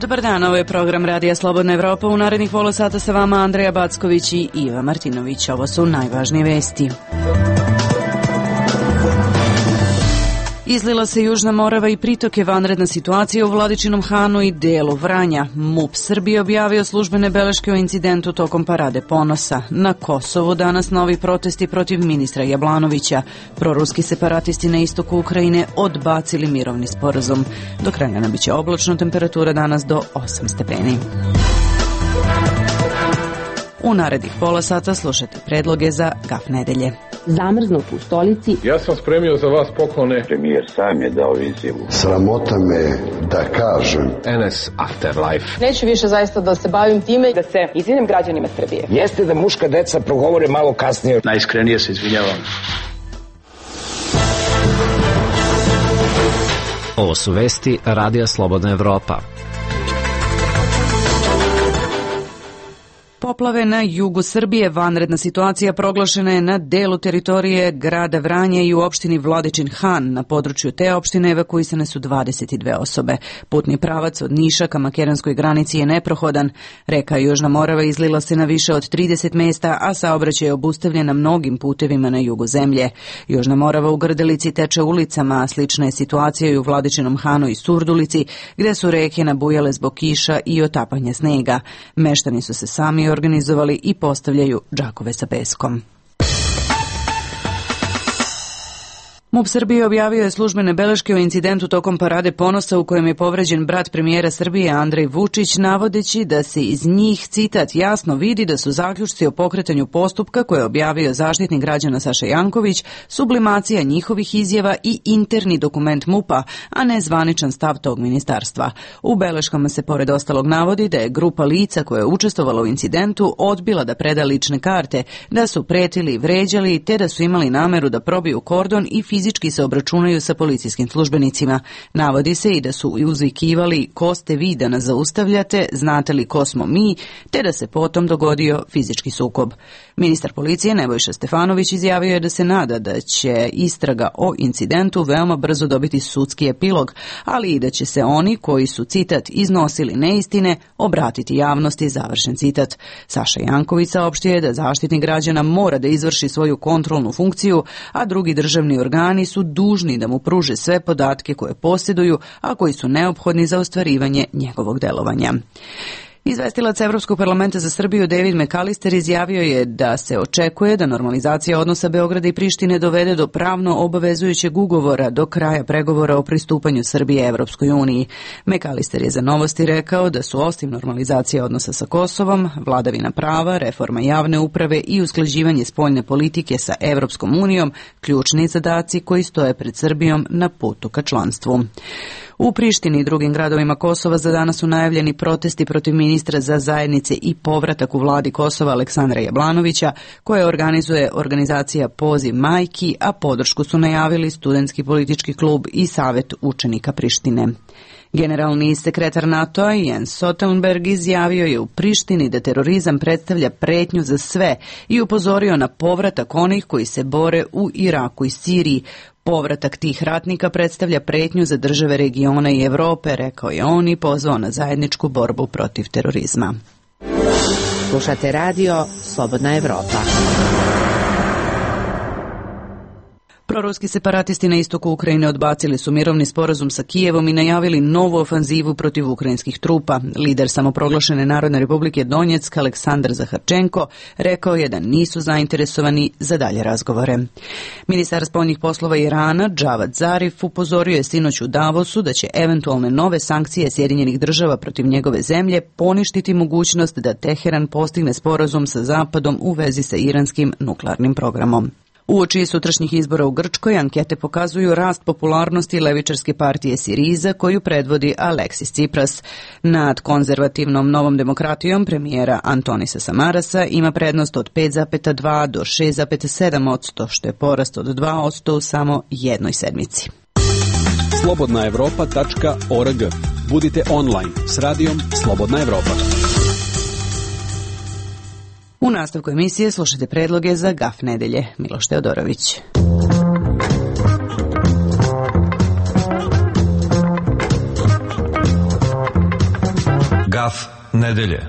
Dobar dan, ovo je program Radija Slobodna Evropa. U narednih pola sata sa vama Andreja Backović i Iva Martinović. Ovo su najvažnije vesti. Izlila se Južna Morava i pritoke, vanredna situacija u Vladičinom Hanu i delu Vranja. MUP Srbije objavio službene beleške o incidentu tokom Parade ponosa. Na Kosovu danas novi protesti protiv ministra Jablanovića. Proruski separatisti na istoku Ukrajine odbacili mirovni sporazum. Do kraja biće oblačno, temperatura danas do 8 stepeni. U narednih pola sata slušajte predloge za Gaf nedelje. Zamrznut u stolici. Ja sam spremio za vas poklone. Premijer sam je dao izjavu. Sramota me da kažem. NS Afterlife. Neću više zaista da se bavim time, da se izvinim građanima Srbije. Jeste da muška deca progovore malo kasnije. Najiskrenije se izvinjavam. Ovo su vesti Radija Slobodna Evropa. Poplave na jugu Srbije, vanredna situacija proglašena je na delu teritorije grada Vranja i u opštini Vladičin Han. Na području te opštine evakuisane su 22 osobe. Putni pravac od Niša ka makedonskoj granici je neprohodan. Reka Južna Morava izlila se na više od 30 mesta, a saobraćaj je obustavljen na mnogim putevima na jugu zemlje. Južna Morava u Grdelici teče ulicama, a slična je situacija i u Vladičinom Hanu i Surdulici, gde su reke nabujale zbog kiša i otapanja snega. Meštani su se sami organizovali i postavljaju džakove sa peskom. MUP Srbije objavio je službene beleške o incidentu tokom Parade ponosa u kojem je povređen brat premijera Srbije Andrej Vučić, navodeći da se iz njih, citat, jasno vidi da su zaključci o pokretanju postupka koje je objavio Zaštitnik građana Saša Janković, sublimacija njihovih izjava i interni dokument MUP-a, a ne zvaničan stav tog ministarstva. U beleškama se pored ostalog navodi da je grupa lica koja je učestvovala u incidentu odbila da preda lične karte, da su pretili i vređali, te da su imali nameru da probiju kordon i fizički se obračunaju sa policijskim službenicima. Navodi se i da su uzvikivali ko ste vi da nas zaustavljate, znate li ko smo mi, te da se potom dogodio fizički sukob. Ministar policije Nebojša Stefanović izjavio je da se nada da će istraga o incidentu veoma brzo dobiti sudski epilog, ali i da će se oni koji su, citat, iznosili neistine, obratiti javnosti, završen citat. Saša Janković saopštio je da Zaštitnik građana mora da izvrši svoju kontrolnu funkciju, a drugi državni organi su dužni da mu pruže sve podatke koje posjeduju, a koji su neophodni za ostvarivanje njegovog delovanja. Izvestilac Evropskog parlamenta za Srbiju David McAllister izjavio je da se očekuje da normalizacija odnosa Beograda i Prištine dovede do pravno obavezujućeg ugovora do kraja pregovora o pristupanju Srbije Evropskoj uniji. McAllister je za Novosti rekao da su osim normalizacije odnosa sa Kosovom, vladavina prava, reforma javne uprave i usklađivanje spoljne politike sa Evropskom unijom ključni zadaci koji stoje pred Srbijom na putu ka članstvu. U Prištini i drugim gradovima Kosova za danas su najavljeni protesti protiv ministra za zajednice i povratak u vladi Kosova Aleksandra Jablanovića, koje organizuje organizacija Poziv majki, a podršku su najavili Studentski politički klub i Savet učenika Prištine. Generalni sekretar NATO-a Jens Stoltenberg izjavio je u Prištini da terorizam predstavlja pretnju za sve i upozorio na povratak onih koji se bore u Iraku i Siriji. Povratak tih ratnika predstavlja pretnju za države regiona i Evrope, rekao je on i pozvao na zajedničku borbu protiv terorizma. Slušate radio Slobodna Evropa. Proruski separatisti na istoku Ukrajine odbacili su mirovni sporazum sa Kijevom i najavili novu ofanzivu protiv ukrajinskih trupa. Lider samoproglašene Narodne republike Donjeck, Aleksandar Zaharčenko, rekao je da nisu zainteresovani za dalje razgovore. Ministar spoljnih poslova Irana, Džavad Zarif, upozorio je sinoć u Davosu da će eventualne nove sankcije Sjedinjenih država protiv njegove zemlje poništiti mogućnost da Teheran postigne sporazum sa Zapadom u vezi sa iranskim nuklearnim programom. Uoči sutrašnjih izbora u Grčkoj ankete pokazuju rast popularnosti levičarske partije Siriza koju predvodi Aleksis Tsipras. Nad konzervativnom Novom demokratijom premijera Antonisa Samarasa ima prednost od 5,2 do 6,7%, što je porast od 2% u samo jednoj sedmici. slobodnaevropa.org. Budite online s radijom Slobodna Evropa. U nastavku emisije slušajte predloge za GAF nedelje. Miloš Teodorović. GAF nedelje.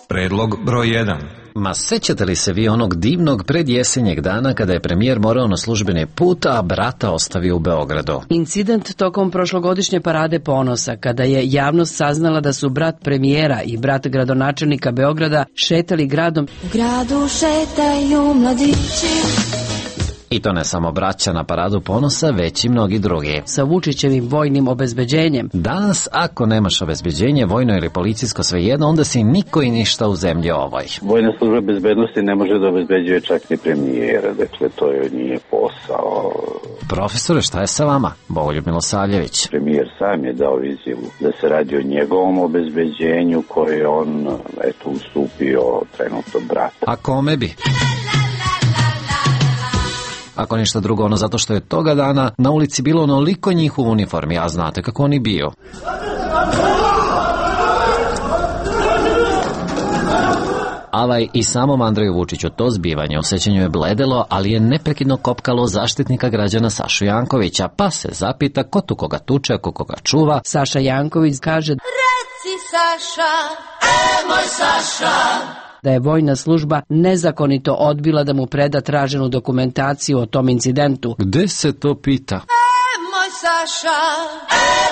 Predlog broj 1. Ma sećate li se vi onog divnog predjesenjeg dana kada je premijer morao na službeni put, a brata ostavio u Beogradu? Incident tokom prošlogodišnje parade ponosa, kada je javnost saznala da su brat premijera i brat gradonačelnika Beograda šetali gradom. U gradu šetaju mladići. I to ne samo braća na paradu ponosa, već i mnogi drugi. Sa Vučićevim vojnim obezbeđenjem. Danas, ako nemaš obezbeđenje, vojno ili policijsko, svejedno, onda si niko i ništa u zemlji ovoj. Vojna služba bezbednosti ne može da obezbeđuje čak ni premijera, dakle to je nije posao. Profesore, šta je sa vama? Bogoljub Milosavljević. Premijer sam je dao izjavu da se radi o njegovom obezbeđenju koje je on, ustupio trenutno brata. A kome bi? Ako ništa drugo, ono zato što je toga dana na ulici bilo onoliko njih u uniformi, a znate kako oni bio. Avaj i samom Andreju Vučiću to zbivanje u sećanju je bledelo, ali je neprekidno kopkalo zaštitnika građana Sašu Jankovića, pa se zapita ko tu koga tuče, ko koga čuva. Saša Janković kaže: Reci Saša, moj Saša, da je vojna služba nezakonito odbila da mu preda traženu dokumentaciju o tom incidentu. Gde se to pita? Moj Saša,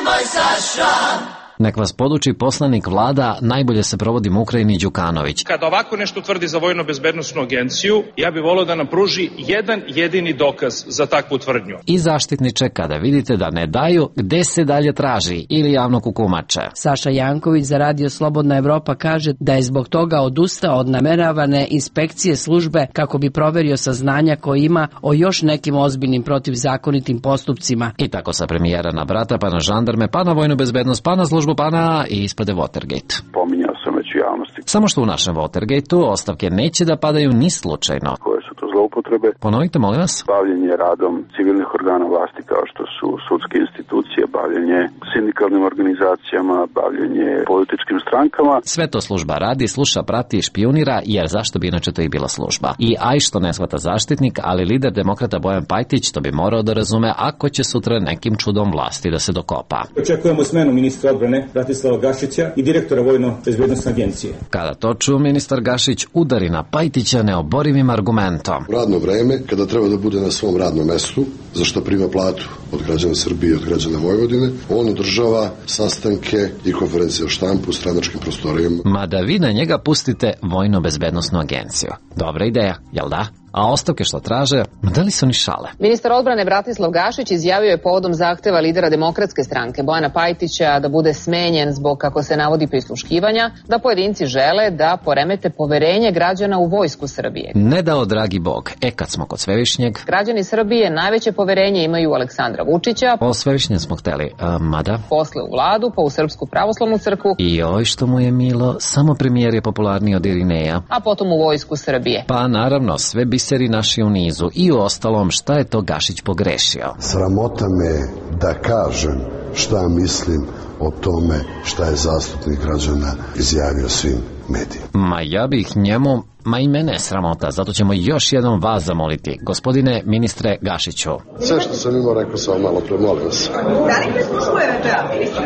moj Saša. Nek vas poduči poslanik vlada, najbolje se provodi u Ukrajini Đukanović. Kada ovako nešto tvrdi za Vojno-bezbednosnu agenciju, ja bih volio da nam pruži jedan jedini dokaz za takvu tvrdnju. I zaštitniče, kada vidite da ne daju, gde se dalje traži ili javno kukumače? Saša Janković za Radio Slobodna Evropa kaže da je zbog toga odustao od nameravane inspekcije službe kako bi proverio saznanja koje ima o još nekim ozbiljnim protivzakonitim postupcima. I tako sa premijera na brata, pa na žandarme, pa na vojnu bezbednost, pa na službu, pa na i ispade Watergate. Pominjao sam već u javnosti. Samo što u našem Watergateu ostavke neće da padaju ni slučajno. Koje su to zloupotrebe? Ponovite, molim vas. Bavljenje radom civilnih organa vlasti kao što su sudske institucije, bavljenje sindikalnim organizacijama, bavljenje političkim strankama. Sve to služba radi, sluša, prati i špijunira, jer zašto bi inače to i bila služba? I aj što ne shvata zaštitnik, ali lider demokrata Bojan Pajtić to bi morao da razume ako će sutra nekim čudom vlasti da se dokopa. Očekujemo smenu ministra odbrane Bratislava Gašića i direktora Vojno-bezbednosne agencije. Kada to ču, ministar Gašić udari na Pajtića neoborivim argumentom. Radno vreme, kada treba da bude na svom radnom mestu, za što prima platu od građana Srbije i od građana Vojvodine, on održava sastanke i konferencije o štampu u stranačkim prostorijama. Ma da vi na njega pustite Vojno-bezbednosnu agenciju. Dobra ideja, jel da? A ostavke što traže, da li su ni šale? Ministar odbrane Bratislav Gašić izjavio je povodom zahteva lidera Demokratske stranke Bojana Pajtića da bude smenjen zbog, kako se navodi, prisluškivanja, da pojedinci žele da poremete poverenje građana u vojsku Srbije. Ne dao dragi Bog. Kad smo kod Svevišnjeg... Građani Srbije najveće poverenje imaju u Aleksandra Vučića. O Svevišnjem smo hteli, mada... Posle u vladu, pa u Srpsku pravoslavnu crkvu. I oj što mu je milo, samo premijer je popularniji od Irineja. A potom u vojsku Srbije. Pa naravno, sve biseri naši u nizu i u ostalom šta je to Gašić pogrešio. Sramota me da kažem šta mislim o tome šta je zastupnik građana izjavio svim medijima. Ma ja bih njemu, ma i mene je sramota, zato ćemo još jednom vas zamoliti, gospodine ministre Gašiću. Sve što sam imao rekao sam malo pre, molim vas. Da li prisluškuje VBA, ministre?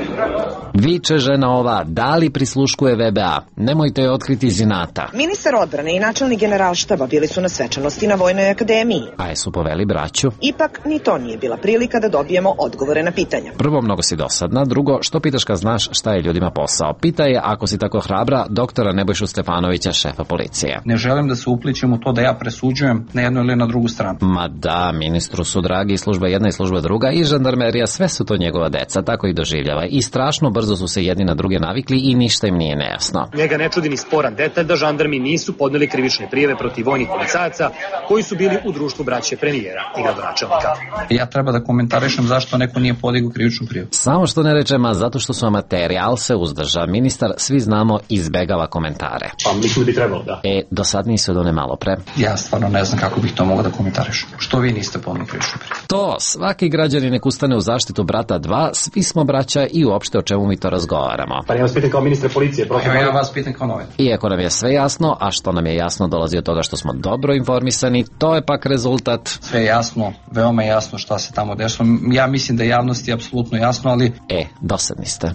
Viče žena ova, da li prisluškuje VBA? Nemojte je otkriti iz inata. Ministar odbrane i načelnik generalštaba bili su na svečanosti na Vojnoj akademiji. A jesu poveli braću? Ipak ni to nije bila prilika da dobijemo odgovore na pitanja. Prvo, mnogo si dosadna, drugo, što pitaš kad znaš šta je ljudima posao? Pita je, ako si tako hrabra, doktora Nebojšu Stefanovića, šefa policije. Ne želim da se uplićem u to da ja presuđujem na jednu ili na drugu stranu. Ma da, ministru su dragi, služba jedna i služba druga i žandarmerija, sve su to njegova deca, tako i doživljava. I strašno brzo su se jedni na druge navikli i ništa im nije nejasno. Njega ne čudi ni sporan detalj da žandarmi nisu podneli krivične prijave protiv vojnih policajaca koji su bili u društvu braće premijera i gradonačelnika. Ja treba da komentarišem zašto neko nije podigao krivičnu prijavu. Samo što ne rečem, a zato što su amateri, ali se uzdrža. Ministar, svi znamo, izbegava komentare. Pa mislim da bi trebalo, da. dosadniji su od one malo pre. Ja stvarno ne znam kako bih to mogao da komentarišem. Što vi niste podneli krivičnu prijavu? To, svaki građanin nek ustane u zaštitu brata 2, svi smo braća i uopšte o čemu mi to razgovaramo. Pa ja vas pitam kao ministre policije. Ja vas pitam kao novinar. Iako nam je sve jasno, a što nam je jasno dolazi od toga što smo dobro informisani, to je pak rezultat. Sve jasno, veoma jasno šta se tamo dešava. Ja mislim da je javnosti apsolutno jasno, ali... Dosadni ste.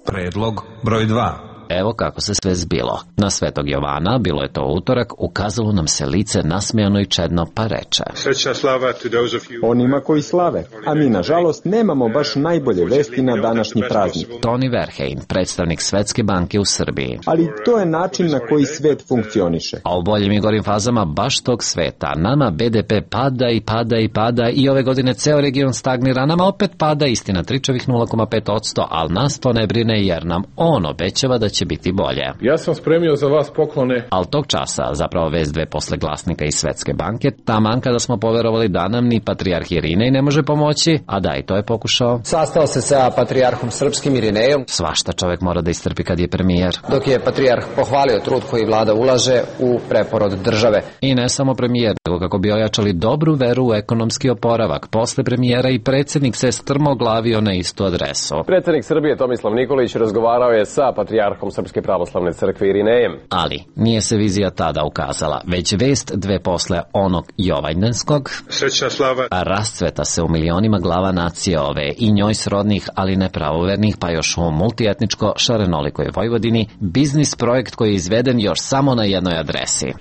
Predlog broj 2. Evo kako se sve zbilo. Na Svetog Jovana, bilo je to utorak, ukazalo nam se lice nasmejano i čedno, pa reče: Srećna slava to those of you. Onima koji slave, a mi nažalost nemamo baš najbolje vesti na današnji praznik. Toni Verheyen, predstavnik Svetske banke u Srbiji. Ali to je način na koji svet funkcioniše. A u boljim i gorim fazama baš tog sveta. Nama BDP pada i pada i pada i ove godine ceo region stagnira, nama opet pada, istina tričavih 0,5%, ali nas to ne brine jer nam on obećava da će biti bolje. Ja sam spremio za vas poklone. Al tog časa, zapravo vez 2 posle glasnika iz Svetske banke, taman kada smo poverovali da nam ni patrijarh Irinej ne može pomoći, a da i to je pokušao. Sastao se sa patrijarhom srpskim Irinejom. Svašta čovek mora da istrpi kad je premijer. Dok je patrijarh pohvalio trud koji vlada ulaže u preporod države. I ne samo premijer, nego kako bi ojačali dobru veru u ekonomski oporavak. Posle premijera i predsjednik se strmoglavio na istu adresu. Predsjednik Srbije Tomislav Nikolić razgovarao je sa patrijarhom Srpske pravoslavne crkve Irinejem. Ali nije se vizija tada ukazala, već vest 2 posle onog Jovanjdenskog. Srećna slava. A rascveta se u milionima glava nacije ove i njoj srodnih, ali ne pravovernih, pa još u multietničko šarenolikoj Vojvodini, biznis projekt koji je izveden još samo na jednoj adresi.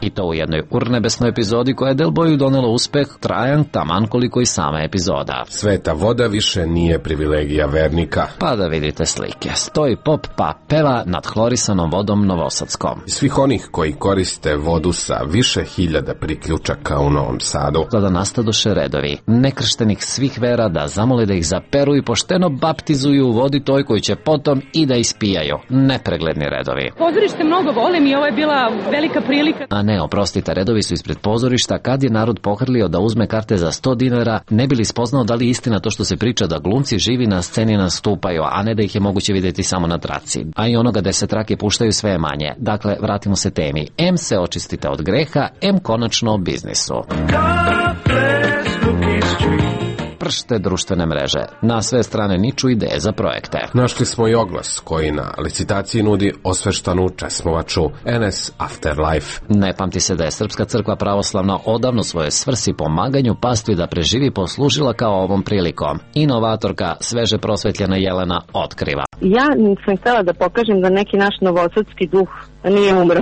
I to u jednoj urnebesnoj epizodi koja je Del Boyu donela uspeh trajan taman koliko i sama epizoda. Sveta voda više nije privilegija vernika. Pa da vidite slike. Stoji pop pa peva nad hlorisanom vodom Novosadskom. Svih onih koji koriste vodu sa više hiljada priključaka u Novom Sadu. Da nastadoše redovi nekrštenih svih vera da zamole da ih zaperu i pošteno baptizuju u vodi toj koju će potom i da ispijaju. Nepregledni redovi. Pozorište mnogo volim i ovo je bila velika prilika. A ne, oprostite, redovi su ispred pozorišta kad je narod pohrlio da uzme karte za 100 dinara, ne bi li spoznao da li je istina to što se priča da glumci živi na sceni nastupaju, a ne da ih je moguće vidjeti samo na traci. A i onoga da se trake puštaju sve manje. Dakle, vratimo se temi. M se očistite od greha, M konačno o biznisu. Pršte društvene mreže. Na sve strane niču ideje za projekte. Našli smo i oglas koji na licitaciji nudi osveštanu česmovaču NS Afterlife. Ne pamti se da je Srpska crkva pravoslavna odavno svoje svrsi pomaganju pastvi da preživi poslužila kao ovom prilikom. Inovatorka, sveže prosvetljena Jelena otkriva. Ja sam htjela da pokažem da neki naš novosadski duh nije umro.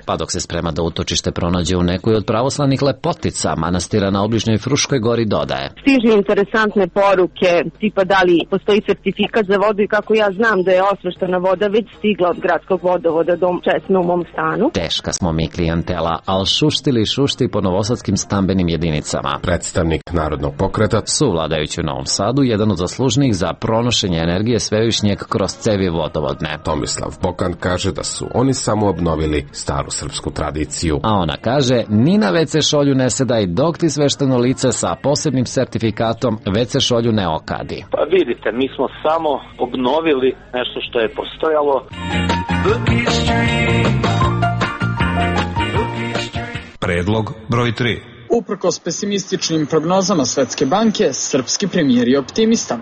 Pa dok se sprema da utočište pronađe u nekoj od pravoslavnih lepotica, manastira na obližnjoj Fruškoj gori dodaje. Stižu interesantne poruke, tipa da li postoji certifikat za vodu i kako ja znam da je osveštana voda već stigla od gradskog vodovoda do česme u mom stanu. Teška smo mi klijentela, ali šušti po novosadskim stambenim jedinicama. Predstavnik Narodnog pokreta, suvladajući u Novom Sadu, jedan od zaslužnih za pronošenje energije svevišnjeg kroz cevi vodovodne. Tomislav Bokan kaže da su oni samo obnovili staru srpsku tradiciju. A ona kaže, ni na WC šolju ne sedaj dok ti svešteno lice sa posebnim sertifikatom WC šolju ne okadi. Pa vidite, mi smo samo obnovili nešto što je postojalo. Predlog broj 3. Uprkos pesimističnim prognozama Svetske banke, srpski premijer je optimista.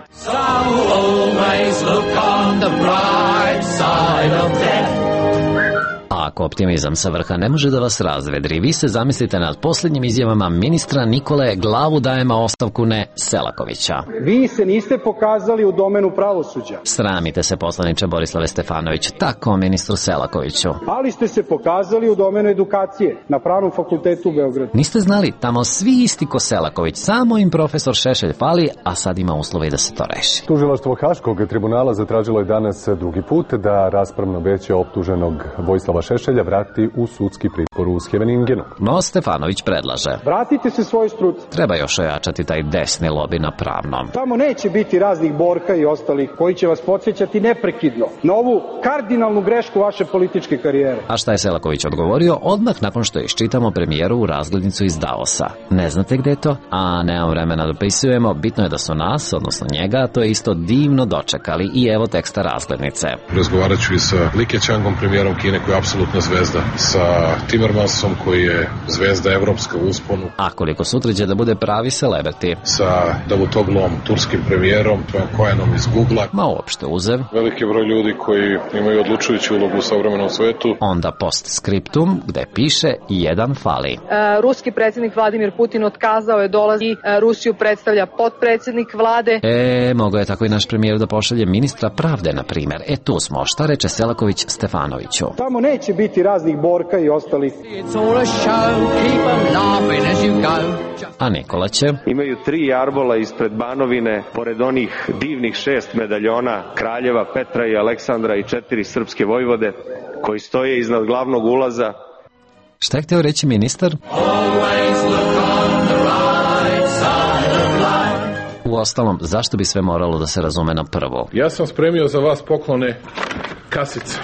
A ako optimizam sa vrha ne može da vas razvedri, vi se zamislite nad posljednjim izjavama ministra Nikole glavu dajema ostavku ne Selakovića. Vi se niste pokazali u domenu pravosuđa. Sramite se, poslaniče Borislave Stefanović, tako ministru Selakoviću. Ali ste se pokazali u domenu edukacije na Pravnom fakultetu u Beogradu. Niste znali, tamo svi isti ko Selaković, samo im profesor Šešelj fali, a sad ima uslove da se to reši. Tužilaštvo Haškog tribunala zatražilo je danas drugi put da raspravno veće optuženog Vojislava Šešelja Šešelja vrati u sudski pritvor u Scheveningenu. No Stefanović predlaže: vratite se svoj struci. Treba još ojačati taj desni lobi na Pravnom. Tamo neće biti raznih Borka i ostalih koji će vas podsjećati neprekidno na ovu kardinalnu grešku vaše političke karijere. A šta je Selaković odgovorio odmah nakon što iščitamo premijerovu razglednicu iz Davosa? Ne znate gde je to? A nemam vremena da dopisujemo, bitno je da su nas, odnosno njega, to je isto divno dočekali i evo teksta razglednice. Razgovarat ću i sa Li Keqiangom, premijerom Kine, koji je apsolutna zvezda, sa Timmermansom, koji je zvezda evropska u usponu. A koliko sutra će da bude pravi celebrity? Sa Davutoglom, turskim premijerom, Kojenom iz Google-a. Ma uopšte uzev. Veliki broj ljudi koji imaju odlučujuću ulogu u savremenom svetu. Onda postscriptum, gde piše jedan fali. Ruski predsjednik Vladimir Putin otkazao je dolaz i Rusiju predstavlja potpredsjednik vlade. Mogao je tako i naš premijer da pošalje ministra pravde, na primjer. Tu smo. Šta reče Selaković Stefanoviću? Tamo neće biti raznih Borka i ostalih. A Nikola će: imaju 3 jarbola ispred Banovine, pored onih divnih 6 medaljona kraljeva Petra i Aleksandra i 4 srpske vojvode koji stoje iznad glavnog ulaza. Šta je hteo reći ministar? Uostalom, zašto bi sve moralo da se razume na prvo? Ja sam spremio za vas poklone kasice.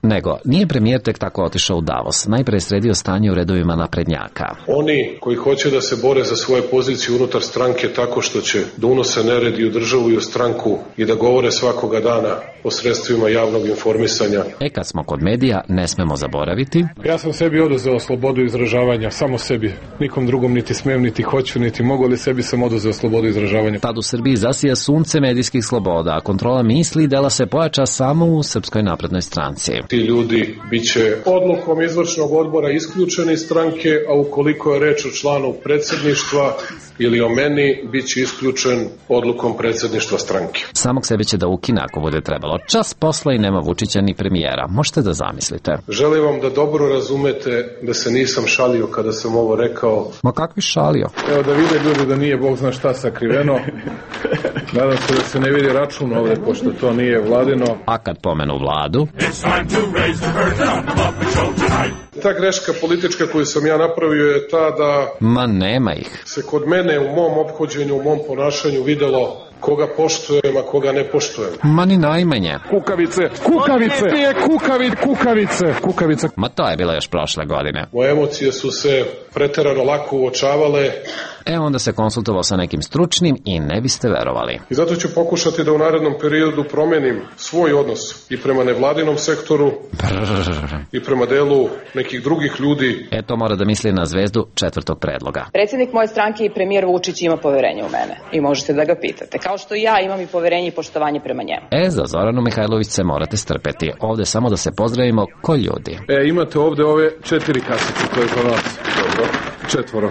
Nego, nije premijer tek tako otišao u Davos. Najpre je sredio stanje u redovima naprednjaka. Oni koji hoće da se bore za svoje pozicije unutar stranke tako što će da unose nered i u državu i u stranku i da govore svakoga dana o sredstvima javnog informisanja. Kad smo kod medija, ne smemo zaboraviti. Ja sam sebi oduzeo slobodu izražavanja, samo sebi. Nikom drugom niti smem, niti hoću, niti mogu, ali sebi sam oduzeo slobodu izražavanja. Tad u Srbiji zasija sunce medijskih sloboda, a kontrola misli i dela se pojača samo u Srpskoj naprednoj stranci. Ti ljudi biće odlukom izvršnog odbora isključeni iz stranke, a ukoliko je reč o članu predsjedništva ili o meni, bit će isključen odlukom predsjedništva stranke. Samog sebe će da ukine ako bude trebalo. Čas posla i nema Vučića ni premijera. Možete da zamislite. Želim vam da dobro razumete da se nisam šalio kada sam ovo rekao. Ma kakvi šalio? Evo da vide ljudi da nije Bog zna šta sakriveno. Nadam se da se ne vidi račun ovde, pošto to nije vladino. A kad pomenu vladu? Ta greška politička koju sam ja napravio je ta da... Ma nema ih. Se kod mene u mom ophođenju, u mom ponašanju videlo koga poštujem, a koga ne poštujem. Ma ni najmanje. Kukavice, kukavice, kukavice, kukavice. Ma to je bilo još prošle godine. Moje emocije su se preterano lako uočavale. Onda se konsultovao sa nekim stručnim i ne biste verovali. I zato ću pokušati da u narednom periodu promenim svoj odnos i prema nevladinom sektoru i prema delu nekih drugih ljudi. To mora da misli na zvezdu 4. predloga. Predsjednik moje stranke i premijer Vučić ima poverenje u mene i možete da ga pitate. Kao što i ja imam i poverenje i poštovanje prema njemu. Za Zoranu Mihajlović se morate strpeti. Ovde samo da se pozdravimo ko ljudi. Imate ovde ove 4 kasice, to je za nas. Dobro. 4.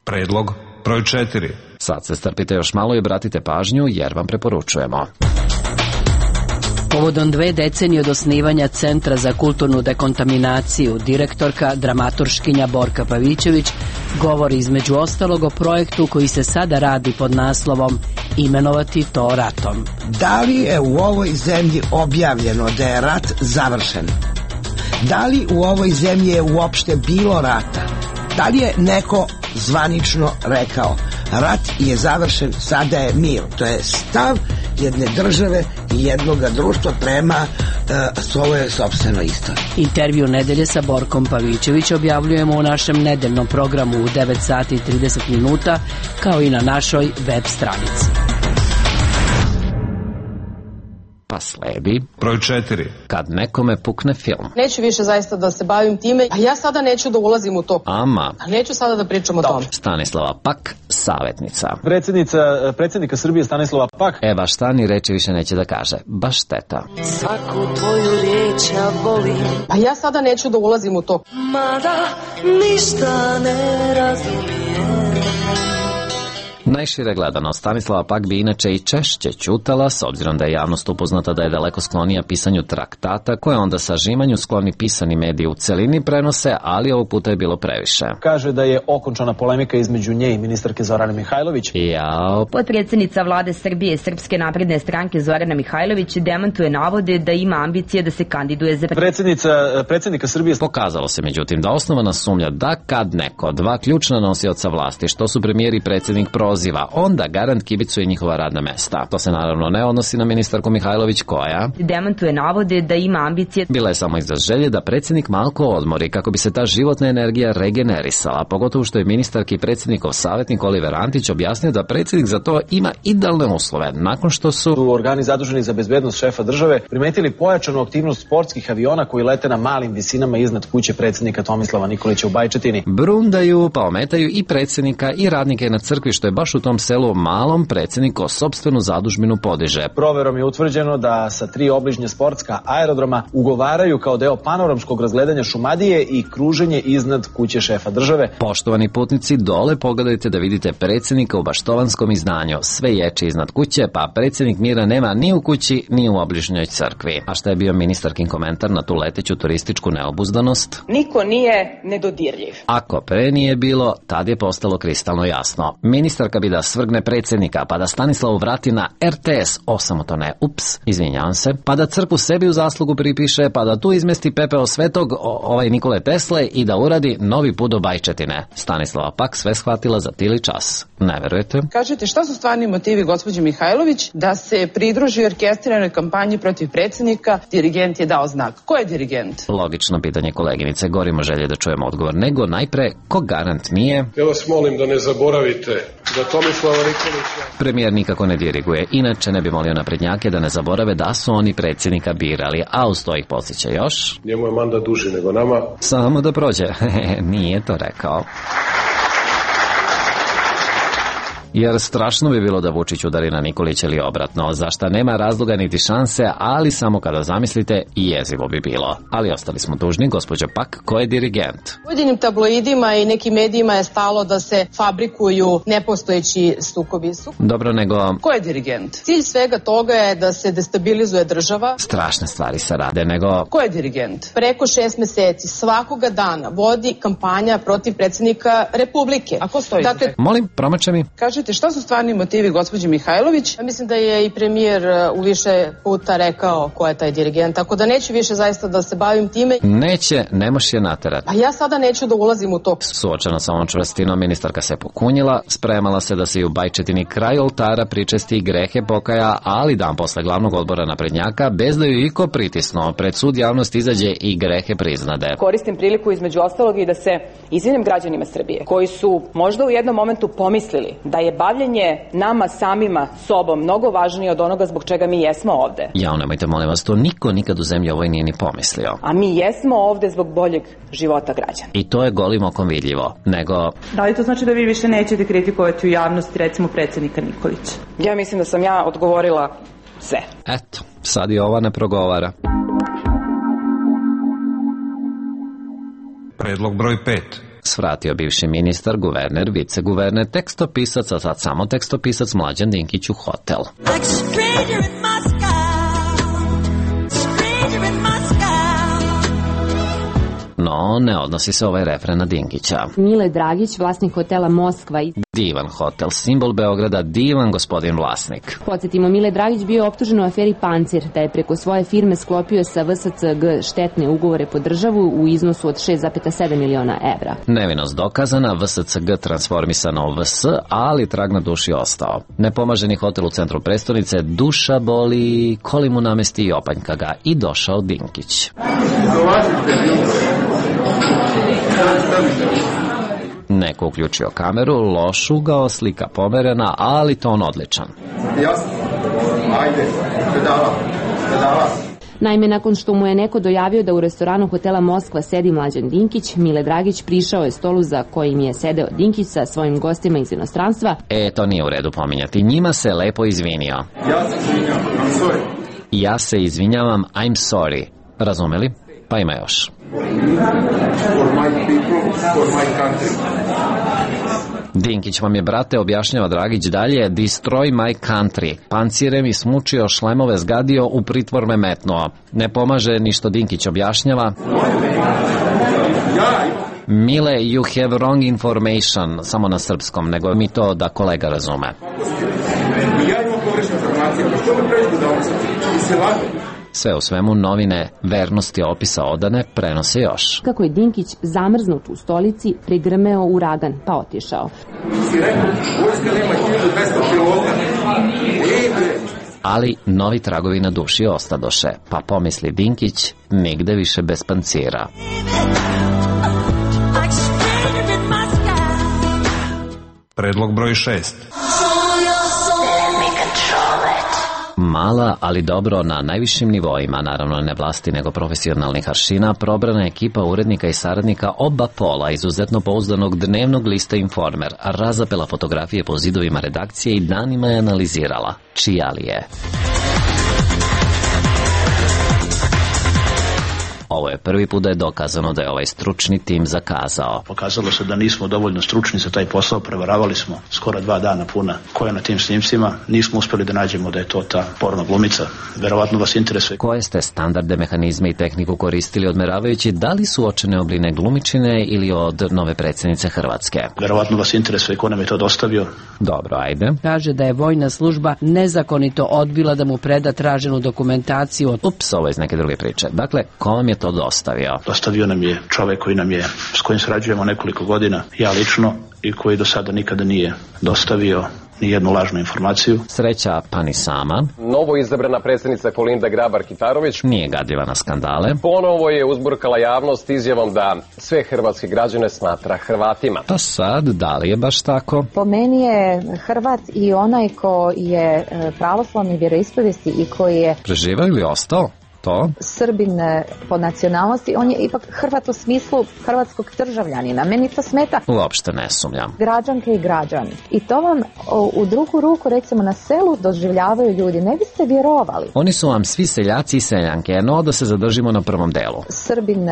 Predlog broj 4. Sad se strpite još malo i obratite pažnju jer vam preporučujemo. Povodom 2 decenije od osnivanja Centra za kulturnu dekontaminaciju, direktorka, dramaturškinja Borka Pavićević govori između ostalog o projektu koji se sada radi pod naslovom Imenovati to ratom. Da li je u ovoj zemlji objavljeno da je rat završen? Da li u ovoj zemlji je uopšte bilo rata? Da li je neko zvanično rekao rat je završen, sada je mir? To je stav jedne države i jednog društva prema svojoj sopstvenoj istoriji. Intervju nedelje sa Borkom Pavićević objavljujemo u našem nedeljnom programu u 9 sati i 30 minuta, kao i na našoj web stranici. Pa sledi broj 4. Kad nekome pukne film. Neću više zaista da se bavim time, a ja sada neću da ulazim u to. Ama. Neću sada da pričam o tome. Stanislava Pak, savjetnica. Predsjednika Srbije Stanislava Pak. Baš šta ni reči više neće da kaže. Baš šteta. Svaku tvoju riječ ja volim. A ja sada neću da ulazim u to. Mada ništa ne razumijem. Najšire gledano, Stanislava Pak bi inače i češće ćutala, s obzirom da je javnost upoznata da je daleko sklonija pisanju traktata, koje onda sažimanju skloni pisani mediji u celini prenose, ali ovog puta je bilo previše. Kaže da je okončana polemika između nje i ministarke Zorane Mihajlović. Potpredsjednica vlade Srbije Srpske napredne stranke Zorana Mihajlović demantuje navode da ima ambicije da se kandiduje za predsjednika Srbije. Pokazalo se međutim da osnovana sumnja da kad neko dva ključna nosioca vlasti, što su premijer i predsjednik, proziva, onda garant kibicuje njihova radna mesta. To se naravno ne odnosi na ministarku Mihajlović koja demantuje navode da ima ambicije. Bila je samo izraz želje da predsjednik malko odmori kako bi se ta životna energija regenerisala, pogotovo što je ministarki i predsjednikov savjetnik Oliver Antić objasnio da predsjednik za to ima idealne uslove, nakon što su organi zaduženi za bezbednost šefa države primetili pojačanu aktivnost sportskih aviona koji lete na malim visinama iznad kuće predsjednika Tomislava Nikolića u Bajčetini. Brundaju pa ometaju i predsjednika i radnike na crkvi, što je baš u tom selu malom predsjednik o sopstvenu zadužbinu podiže. Proverom je utvrđeno da sa 3 obližnje sportska aerodroma ugovaraju kao deo panoramskog razgledanja Šumadije i kruženje iznad kuće šefa države. Poštovani putnici, dole pogledajte da vidite predsjednika u baštovanskom izdanju. Sve ječi iznad kuće, pa predsjednik mira nema ni u kući, ni u obližnjoj crkvi. A šta je bio ministarkin komentar na tu leteću turističku neobuzdanost? Niko nije nedodirljiv. Ako pre nije bilo, tad je postalo kristalno jasno. Ministarka bi da svrgne predsjednika, pa da Stanislavu vrati na RTS, osamotone, izvinjavam se, pa da crkvu sebi u zaslugu pripiše, pa da tu izmesti pepeo svetog Nikole Tesle i da uradi novi put do Bajčetine. Stanislava Pak sve shvatila za tili čas. Ne verujete? Kažete, šta su stvarni motivi gospođe Mihajlović da se pridruži orkestriranoj kampanji protiv predsjednika? Dirigent je dao znak. Ko je dirigent? Logično pitanje, koleginice, gorimo želje da čujemo odgovor, nego najpre, ko garant nije? Ja vas molim da ne zaboravite da Tomislava Nikolića premijer nikako ne diriguje, inače ne bi molio naprednjake da ne zaborave da su oni predsjednika birali, a uz to ih podsjeća još. Njemu je mandat duži nego nama. Samo da prođe. Nije to rekao. Jer strašno bi bilo da Vučić udari na Nikolića ili obratno, za šta nema razloga niti šanse, ali samo kada zamislite i jezivo bi bilo. Ali ostali smo dužni, gospođo Pak, ko je dirigent? Pojedinim tabloidima i nekim medijima je stalo da se fabrikuju nepostojeći sukobi. Dobro, nego ko je dirigent? Cilj svega toga je da se destabilizuje država. Strašne stvari se rade, nego ko je dirigent? Preko 6 meseci svakoga dana vodi kampanja protiv predsjednika Republike. A ko stoji? Dakle, molim, promače mi. Kažete, šta su stvarni motivi gospođe Mihajlović? Ja mislim da je i premijer u više puta rekao ko je taj dirigent, tako da neću više zaista da se bavim time. Neće, ne moš je naterati. Pa ja sada neću da ulazim u to. Suočena sa ovom čvrstinom, ministarka se pokunjila, spremala se da se i u Bajčetini kraj oltara pričesti grehe pokaja, ali dan posle glavnog odbora naprednjaka, bez da ju iko pritisnuo, pred sud javnost izađe i grehe priznade. Koristim priliku između ostalog i da se izvinim građanima Srbije, koji su možda u jednom momentu pomislili da je bavljenje nama samima sobom mnogo važnije od onoga zbog čega mi jesmo ovde. Jao, nemojte, molim vas, to niko nikad u zemlji ovoj nije ni pomislio. A mi jesmo ovde zbog boljeg života građana. I to je golim okom vidljivo, nego... Da li to znači da vi više nećete kritikovati u javnosti, recimo, predsjednika Nikolića? Ja mislim da sam ja odgovorila sve. Eto, sad i ova ne progovara. Predlog broj 5. Svratio bivši ministar, guverner, viceguverner, tekstopisac, a sad samo tekstopisac Mlađan Dinkić u hotel. No, ne odnosi se ovaj refren na Dinkića. Mile Dragić, vlasnik hotela Moskva. Divan hotel, simbol Beograda, divan gospodin vlasnik. Podsjetimo, Mile Dragić bio optužen u aferi Pancir, da je preko svoje firme sklopio sa VSCG štetne ugovore po državu u iznosu od 6,7 miliona evra. Nevinost dokazana, VSCG transformisana u VS, ali trag na duši ostao. Nepomaženi hotel u centru prestonice, duša boli, koli mu namesti i opanjka ga, i došao Dinkić. Neko uključio kameru, loš ugao, slika pomerena, ali ton odličan. Naime, nakon što mu je neko dojavio da u restoranu hotela Moskva sedi Mlađan Dinkić, Mile Dragić prišao je stolu za kojim je sedeo Dinkić sa svojim gostima iz inostranstva. To nije u redu pominjati. Njima se lepo izvinio. Ja se izvinjavam, I'm sorry. Razumeli? Pa ima još. Dinkić vam je, brate, objašnjava Dragić dalje, destroy my country. Pancire mi smučio, šlemove zgadio, u pritvor me metnuo. Ne pomaže ni što Dinkić objašnjava. Mile, you have wrong information, samo na srpskom, nego mi to da kolega razume. Sve u svemu, novine Vernosti opisa odane prenose još. Kako je Dinkić zamrznut u stolici, prigrmeo uragan, pa otišao. Ali novi tragovi na duši ostadoše, pa pomisli Dinkić, nigde više bez pancira. Predlog broj 6. Mala, ali dobro na najvišim nivoima, naravno ne vlasti nego profesionalnih aršina, probrana ekipa urednika i saradnika oba pola izuzetno pouzdanog dnevnog lista Informer razapela fotografije po zidovima redakcije i danima je analizirala. Čija li je? Ovo je prvi put da je dokazano da je ovaj stručni tim zakazao. Pokazalo se da nismo dovoljno stručni za taj posao, prevaravali smo skoro 2 dana puna koja na tim snimcima, nismo uspjeli da nađemo da je to ta porno glumica. Verovatno vas interesuje. Koje ste standarde, mehanizme i tehniku koristili odmeravajući da li su očene obline glumičine ili od nove predsjednice Hrvatske? Verovatno vas interesuje ko nam je to dostavio. Dobro, ajde. Kaže da je vojna služba nezakonito odbila da mu preda traženu dokumentaciju. Ups, ovo je iz neke druge priče. Dakle, ko vam je to dostavio? Dostavio nam je čovjek s kojim sarađujemo nekoliko godina, ja lično, i koji do sada nikada nije dostavio ni jednu lažnu informaciju. Sreća pa ni sama. Novo izabrana predsjednica Kolinda Grabar-Kitarović nije gadljiva na skandale. Ponovo je uzburkala javnost izjavom da sve hrvatske građane smatra Hrvatima. Pa sad, da li je baš tako? Po meni je Hrvat i onaj ko je pravoslavni vjeroispovijesti i koji je preživao ili ostao? To? Srbin po nacionalnosti, on je ipak Hrvat u smislu hrvatskog državljanina. Meni to smeta. Uopšte ne sumnjam. Građanke i građani. I to vam u drugu ruku, recimo na selu, doživljavaju ljudi. Ne biste vjerovali. Oni su vam svi seljaci i seljanke, no da se zadržimo na prvom delu. Srbin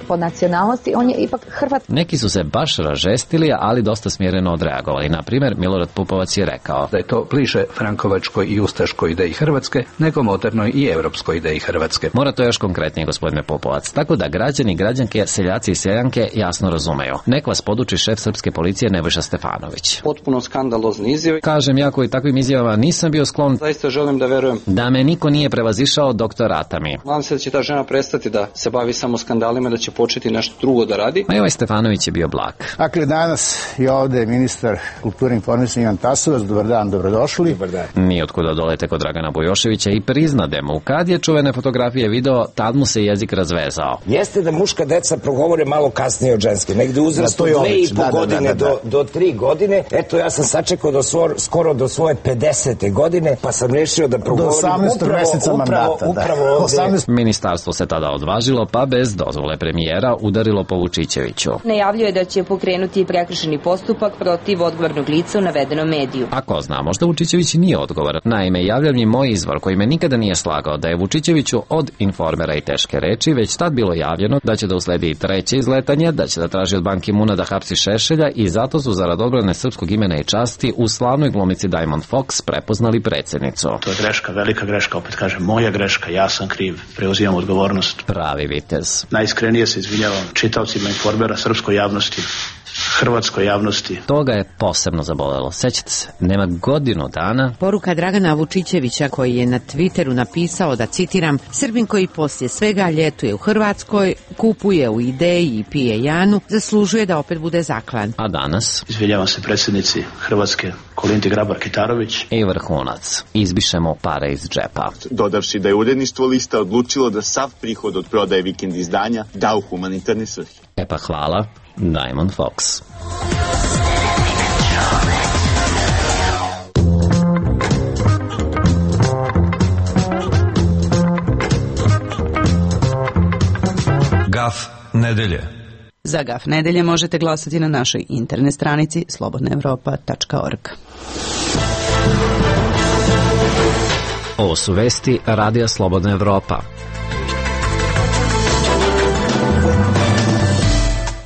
po nacionalnosti, on je ipak Hrvat. Neki su se baš ražestili, ali dosta smjereno odreagovali. Na primjer, Milorad Pupovac je rekao da je to bliže frankovačkoj i ustaškoj ideji Hrvatske nego modernoj i evropskoj ideji Hrvatske. Mora to još konkretnije, gospodine Pupovac. Tako da građani, građanke, seljaci i seljanke jasno razumeju. Nek vas poduči šef srpske policije Nebojša Stefanović. Potpuno skandalozni izjave. Kažem, ja koji takvim izjavama nisam bio sklon. Zaista želim da verujem da me niko nije prevazišao doktorata mi. Nadam se da će ta žena prestati da se bavi samo skandalima, da će početi nešto drugo da radi. A i ovaj Stefanović je bio blag. Dakle, danas je ovde ministar kulture i informisanja Ivan Tasovac. Dobar dan, dobrodošli. Dobar dan. Nije otkuda dolete kod Dragana Bujoševića i priznade mu. Kad je čuvene fotografije video, tad mu se jezik razvezao. Jeste da muška deca progovore malo kasnije od ženske, negde uzrastu 2,5 godine do 3 godine. Eto, ja sam sačekao skoro do svoje 50. godine, pa sam rešio da progovorim do 18. meseca mandata. Upravo 18. Ministarstvo se tada odvažilo, pa bez dozvole premijera udarilo po Vučićeviću. Najavljuje da će pokrenuti prekršajni postupak protiv odgovornog lica u navedenom mediju. A ko zna, možda Vučićević nije odgovoran. Naime, javlja mi moj izvor koji me nikada nije slagao da je Vučićeviću od Informera i teške reči već tad bilo javljeno da će da usledi i treće izletanje, da će da traži od Ban Ki-moona da hapsi Šešelja i zato su zarad odbrane srpskog imena i časti u slavnoj glumici Diamond Fox prepoznali predsjednicu. To je greška, velika greška, opet kažem, moja greška, ja sam kriv, preuzimam odgovornost. Pravi vitez. Najiskrenije se izvinjavam čitaocima Informera, srpskoj javnosti, hrvatskoj javnosti. To ga je posebno zabolelo. Sećate se, nema godinu dana. Poruka Dragana Vučićevića koji je na Twitteru napisao da, citiram, Srbin koji poslije svega ljetuje u Hrvatskoj, kupuje u Ideji i pije Janu, zaslužuje da opet bude zaklan. A danas? Izvinjavam se predsjednici Hrvatske Kolindi Grabar-Kitarović. I vrhunac. Izbišemo pare iz džepa. Dodavši da je uredništvo lista odlučilo da sav prihod od prodaje vikend izdanja da u humanitarne svrhe. E pa hvala. Diamond Fox. Gaf nedelje. Za Gaf nedelje možete glasati na našoj internet stranici slobodnaevropa.org. Ovo su vesti Radija Slobodna Evropa.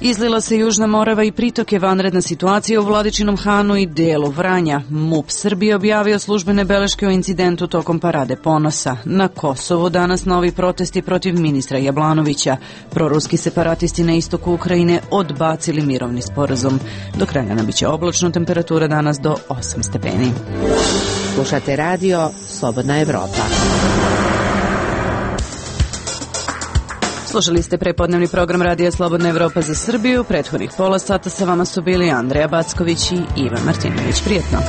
Izlila se Južna Morava i pritoke, vanredna situacija u Vladičinom Hanu i delu Vranja. MUP Srbije objavio službene beleške o incidentu tokom Parade ponosa. Na Kosovu danas novi protesti protiv ministra Jablanovića. Proruski separatisti na istoku Ukrajine odbacili mirovni sporazum. Do kraja nam biće oblačno, temperatura danas do 8 stepeni. Slušate radio Slobodna Evropa. Slušali ste prepodnevni program Radija Slobodna Evropa za Srbiju. Prethodnih pola sata sa vama su bili Andreja Backović i Ivan Martinović. Prijetno.